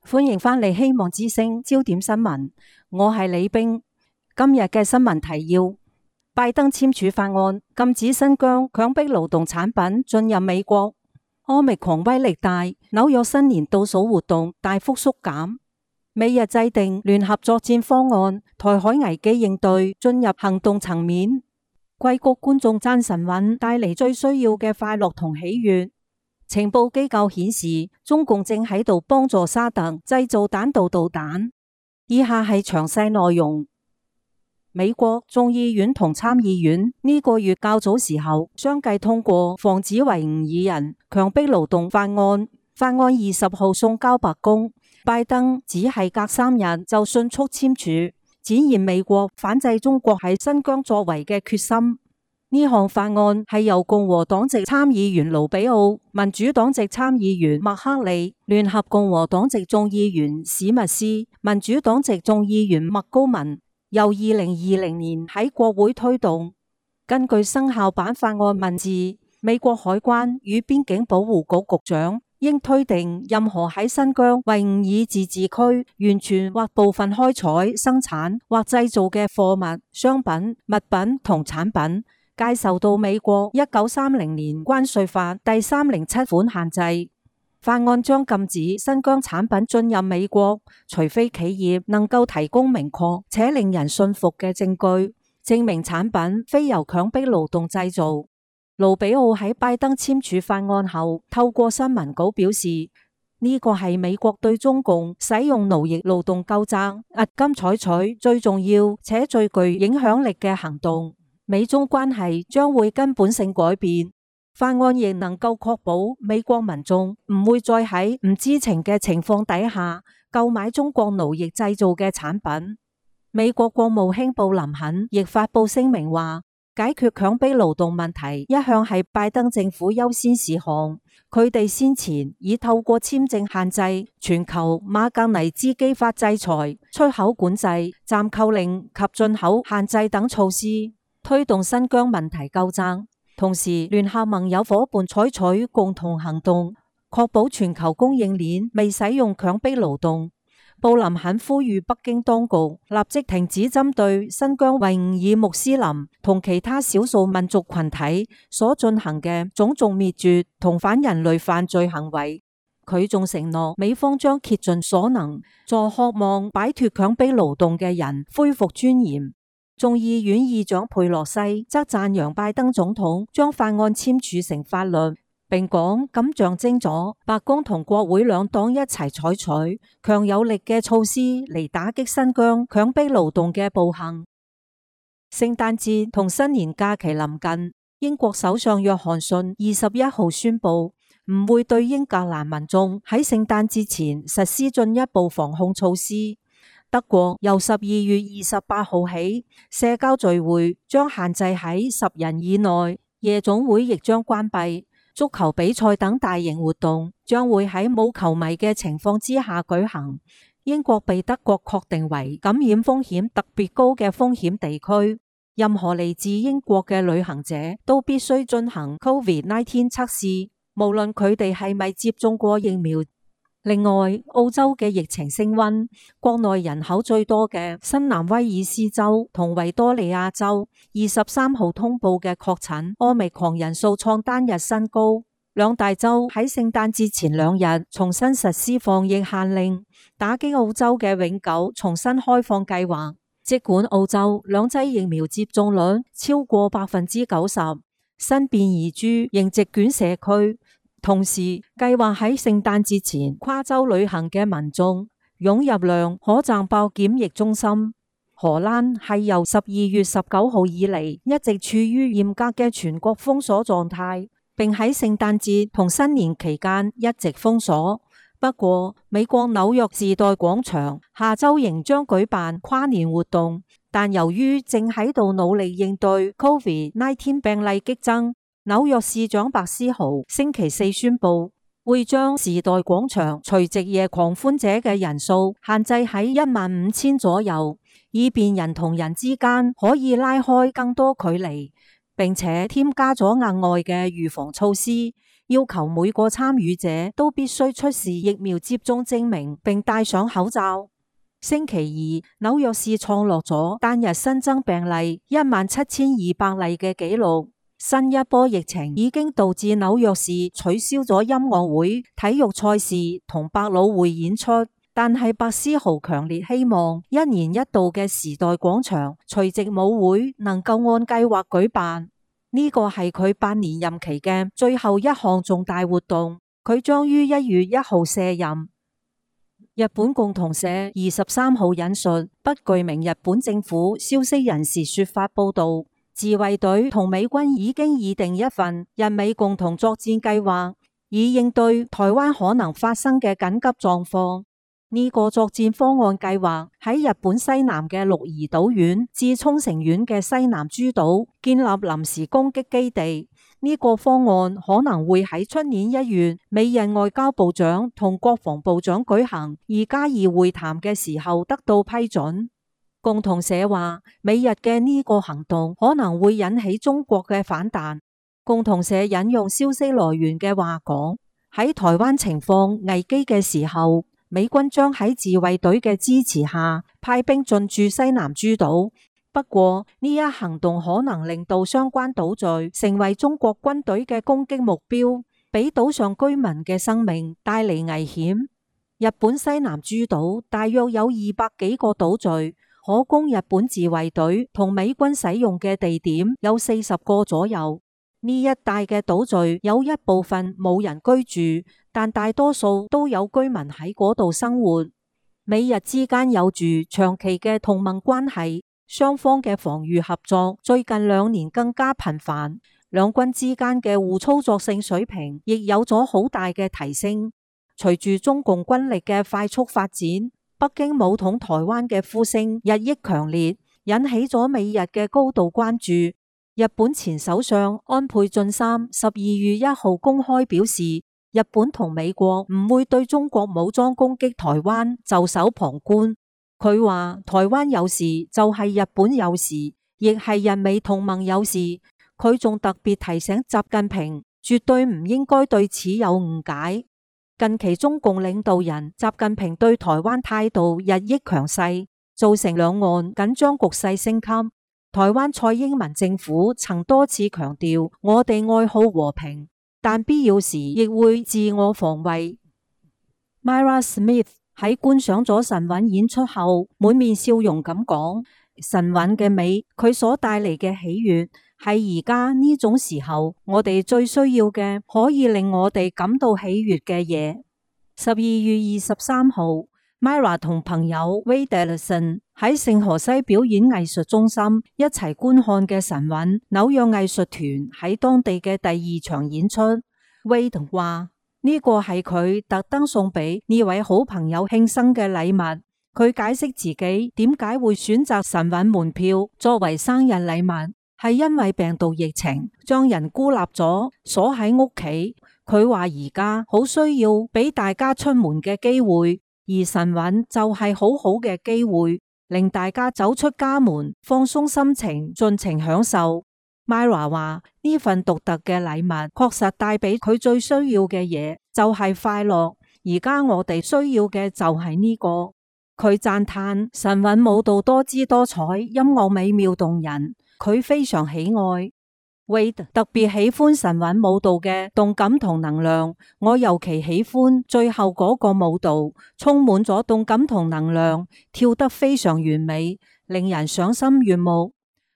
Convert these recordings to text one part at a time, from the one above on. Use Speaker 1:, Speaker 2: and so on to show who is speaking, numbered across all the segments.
Speaker 1: 歡迎返嚟希望之聲焦點新聞，我係李冰。今日嘅新聞提要：拜登簽署法案，禁止新疆強迫勞動產品進入美國。Omicron威力大，紐約新年倒數活動大幅縮減。美日制定聯合作戰方案，台海危機應對進入行動層面。硅谷觀眾讚神韻帶嚟最需要嘅快樂同喜悅。情報機構顯示，中共正喺度幫助沙特製造彈道導彈。以下係詳細內容。美國眾議院同參議院呢個月較早時候相繼通過防止維吾爾人強迫勞動法案。法案20號送交白宮，拜登只係隔3日就迅速簽署，展現美國反制中國喺新疆作為嘅決心。呢項法案係由共和黨籍參議員盧比奧、民主黨籍參議員麥克利、聯合共和黨籍眾議員史密斯、民主黨籍眾議員麥高文由2020年喺國會推動。根據生效版法案文字，美國海關與邊境保護局局長應推定任何喺新疆維吾爾自治區完全或部分開採、生產或製造嘅貨物、商品、物品同產品，皆受到美國1930年關稅法第307款限制。法案將禁止新疆產品進入美國，除非企業能夠提供明確且令人信服嘅證據，證明產品非由強迫勞動製造。盧比奧喺拜登簽署法案後，透過新聞稿表示，呢個係美國對中共使用奴役勞動糾責押金採取最重要且最具影響力嘅行動。美中關係將會根本性改變。法案亦能夠確保美國民眾唔會再喺唔知情嘅情況底下購買中國奴役製造嘅產品。美國國務卿布林肯亦發布聲明話，解決強迫勞動問題一向係拜登政府優先事項。佢哋先前已透過簽證限制、全球馬格尼茲基法制裁、出口管制、暫扣令及進口限制等措施，推動新疆問題糾責，同時聯合盟友夥伴採取共同行動，確保全球供應鏈未使用強迫勞動。布林肯呼籲北京當局立即停止針對新疆維吾爾穆斯林同其他少數民族群體所進行嘅種族滅絕同反人類犯罪行為。佢仲承諾美方將竭盡所能，助渴望擺脫強迫勞動嘅人恢復尊嚴。眾議院議長佩洛西則讚揚拜登總統將法案簽署成法律，並講咁象徵咗白宮同國會兩黨一齊採取強有力嘅措施嚟打擊新疆強迫勞動嘅暴行。聖誕節同新年假期臨近，英國首相約翰遜21號宣布唔會對英格蘭民眾喺聖誕節前實施進一步防控措施。德國由12月28號起，社交聚會將限制喺10人以內，夜總會亦將關閉，足球比賽等大型活動將會喺冇球迷嘅情況之下舉行。英國被德國確定為感染風險特別高嘅風險地區，任何嚟自英國嘅旅行者都必須進行 COVID-19 測試，無論佢哋係咪接種過疫苗。另外，澳洲嘅疫情升溫，國內人口最多嘅新南威爾斯州同維多利亞州23號通報嘅確診Omicron人數創單日新高。兩大洲喺聖誕節前2日重新實施防疫限令，打擊澳洲嘅永久重新開放計劃。儘管澳洲2劑疫苗接種率超過90%，新變異株仍席捲社區。同時，計劃喺聖誕節前跨州旅行嘅民眾湧入量可賺爆檢疫中心。荷蘭係由12月19號以嚟一直處於嚴格嘅全國封鎖狀態，並喺聖誕節同新年期間一直封鎖。不過，美國紐約時代廣場下週仍將舉辦跨年活動，但由於正喺度努力應對 COVID-19 病例激增，紐約市長白思豪星期4宣布，會將時代廣場除夕夜狂歡者嘅人數限制喺15000左右，以便人同人之間可以拉開更多距離，並且添加咗額外嘅預防措施，要求每個參與者都必須出示疫苗接種證明並戴上口罩。星期二，紐約市創落咗單日新增病例17,200例嘅紀錄。新一波疫情已經導致紐約市取消咗音樂會、體育賽事同百老匯演出，但係白思豪強烈希望一年一度嘅時代廣場除夕舞會能夠按計劃舉辦。呢個係佢8年任期嘅最後一項重大活動，佢將於1月1號卸任。日本共同社23號引述不具名日本政府消息人士說法報道，自衛隊同美軍已經擬定一份日美共同作戰計劃，以應對台灣可能發生嘅緊急狀況。呢個作戰方案計劃喺日本西南嘅鹿兒島縣至沖繩縣嘅西南諸島建立臨時攻擊基地。呢個方案可能會喺出年1月美日外交部長同國防部長舉行2+2會談嘅時候得到批准。共同社話，美日嘅呢個行動可能會引起中國嘅反彈。共同社引用消息來源嘅話講，喺台灣情況危機嘅時候，美軍將喺自衛隊嘅支持下派兵進駐西南諸島。不過呢一行動可能令到相關島嶼成為中國軍隊嘅攻擊目標，俾島上居民嘅生命帶嚟危險。日本西南諸島大約有200幾個島嶼，可供日本自衛隊同美軍使用嘅地點有40個左右。呢一帶嘅島嶼有一部分冇人居住，但大多數都有居民喺嗰度生活。美日之間有住長期嘅同盟關係。雙方嘅防禦合作最近2年更加頻繁，兩軍之間嘅互操作性水平亦有咗好大嘅提升。隨住中共軍力嘅快速發展，北京武統台灣嘅呼聲日益強烈，引起咗美日嘅高度關注。日本前首相安倍晉三12月1號公開表示，日本同美國唔會對中國武裝攻擊台灣袖手旁觀。佢話台灣有事就係日本有事，亦係日美同盟有事。佢仲特別提醒習近平絕對唔應該對此有誤解。近期中共領導人習近平對台灣態度日益強勢，造成兩岸緊張局勢升級。台灣蔡英文政府曾多次強調，我哋愛好和平，但必要時亦會自我防衛。Myra Smith喺觀賞咗神韻演出後，滿面笑容咁講：神韻嘅美，佢所帶嚟嘅喜悅，係而家呢種時候我哋最需要嘅，可以令我哋感到喜悅嘅嘢。12月23號，Myra 同朋友 Wade Ellison 喺聖荷西表演藝術中心一齊觀看嘅神韻紐約藝術團喺當地嘅第2場演出。Wade 話：呢個係佢特登送俾呢位好朋友慶生嘅禮物。佢解釋自己點解會選擇神韻門票作為生日禮物，係因為病毒疫情將人孤立咗，鎖喺屋企。佢話而家好需要俾大家出門嘅機會，而神韻就係好好嘅機會，令大家走出家門，放鬆心情，盡情享受。Myra 話呢份獨特嘅禮物確實帶俾佢最需要嘅嘢，就係快樂。而家我哋需要嘅就係呢個。佢讚嘆神韻舞蹈多姿多彩，音樂美妙動人，佢非常喜愛。Wade 特別喜歡神韻舞蹈嘅動感同能量，我尤其喜歡最後嗰個舞蹈，充滿咗動感同能量，跳得非常完美，令人賞心悅目。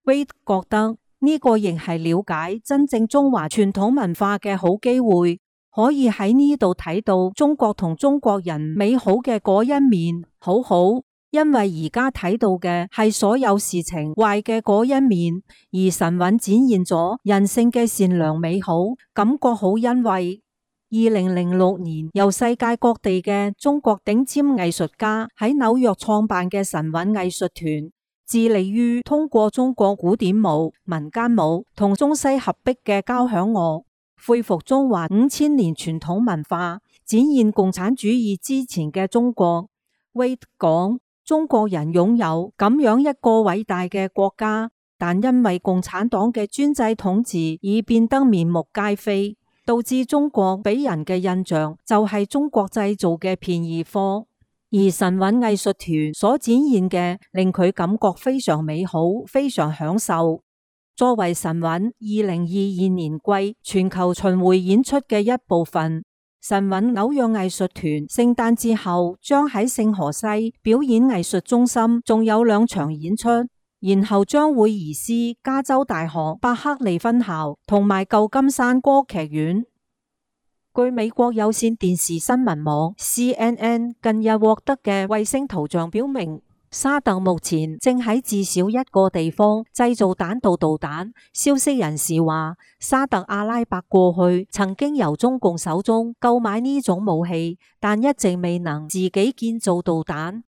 Speaker 1: Wade 覺得呢個亦係了解真正中華傳統文化嘅好機會，可以喺呢度睇到中國同中國人美好嘅嗰一面，好好。因為而家睇到嘅係所有事情壞嘅嗰一面，而神韻展現咗人性嘅善良美好，感覺好欣慰。2006年由世界各地嘅中國頂尖藝術家喺紐約創辦嘅神韻藝術團，致力於通過中國古典舞、民間舞同中西合璧嘅交響樂，恢復中華5000年傳統文化，展現共產主義之前嘅中國。Wade 講，中國人擁有咁樣一個偉大嘅國家，但因為共產黨嘅專制統治而變得面目皆非。導致中國俾人嘅印象就係中國製造嘅便宜貨。而神韻藝術團所展現嘅令佢感覺非常美好，非常享受。作為神韻2022年季全球巡迴演出嘅一部分，神韻紐約藝術團聖誕節後將喺聖荷西表演藝術中心仲有2場演出，然後將會移師加州大學伯克利分校同埋舊金山歌劇院。據美國有線電視新聞網 CNN 近日獲得嘅衛星圖像表明，沙特目前正喺至少一個地方製造彈道導彈。消息人士話，沙特阿拉伯過去曾經由中共手中購買呢種武器，但一直未能自己建造導彈。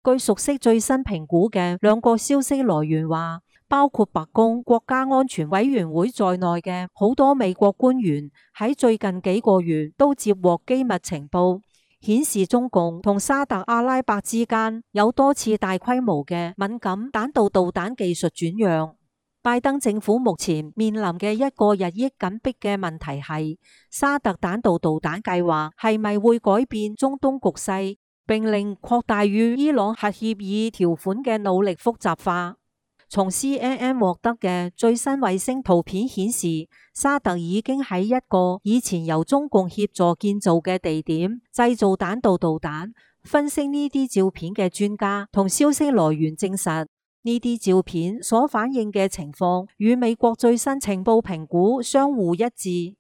Speaker 1: 據熟悉最新評估嘅2個消息來源話，包括白宮國家安全委員會在內嘅好多美國官員喺最近幾個月都接獲機密情報，顯示中共同沙特阿拉伯之間有多次大規模嘅敏感彈道導彈技術轉讓。拜登政府目前面臨嘅一個日益緊迫嘅問題係，沙特彈道導彈計劃係咪會改變中東局勢，並令擴大與伊朗核協議條款嘅努力複雜化。從 CNN 獲得嘅最新衛星圖片顯示，沙特已經喺一個以前由中共協助建造嘅地點製造彈道導彈。分析呢啲照片嘅專家同消息來源證實，呢啲照片所反映嘅情況與美國最新情報評估相互一致。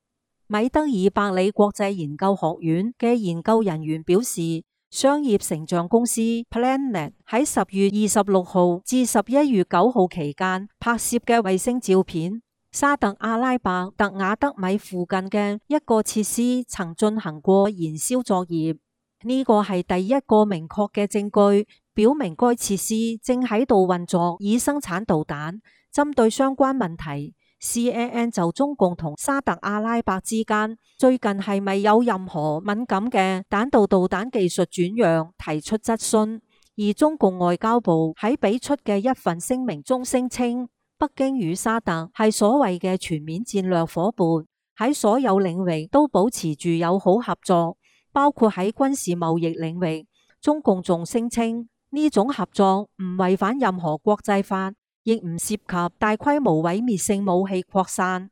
Speaker 1: 米德爾伯里國際研究學院嘅研究人員表示，商業成像公司 Planet 喺10月26號至11月9號期間拍攝嘅衛星照片，沙特阿拉伯特瓦德米附近嘅一個設施曾進行過燃燒作業。呢個係第一個明確嘅證據，表明該設施正喺度運作以生產導彈。針對相關問題，CNN 就中共同沙特阿拉伯之間最近係咪有任何敏感嘅彈道導彈技術轉讓提出質詢，而中共外交部喺俾出嘅一份聲明中聲稱，北京與沙特係所謂嘅全面戰略夥伴，喺所有領域都保持住友好合作，包括喺軍事貿易領域。中共仲聲稱呢種合作唔違反任何國際法，亦唔涉及大規模毀滅性武器擴散。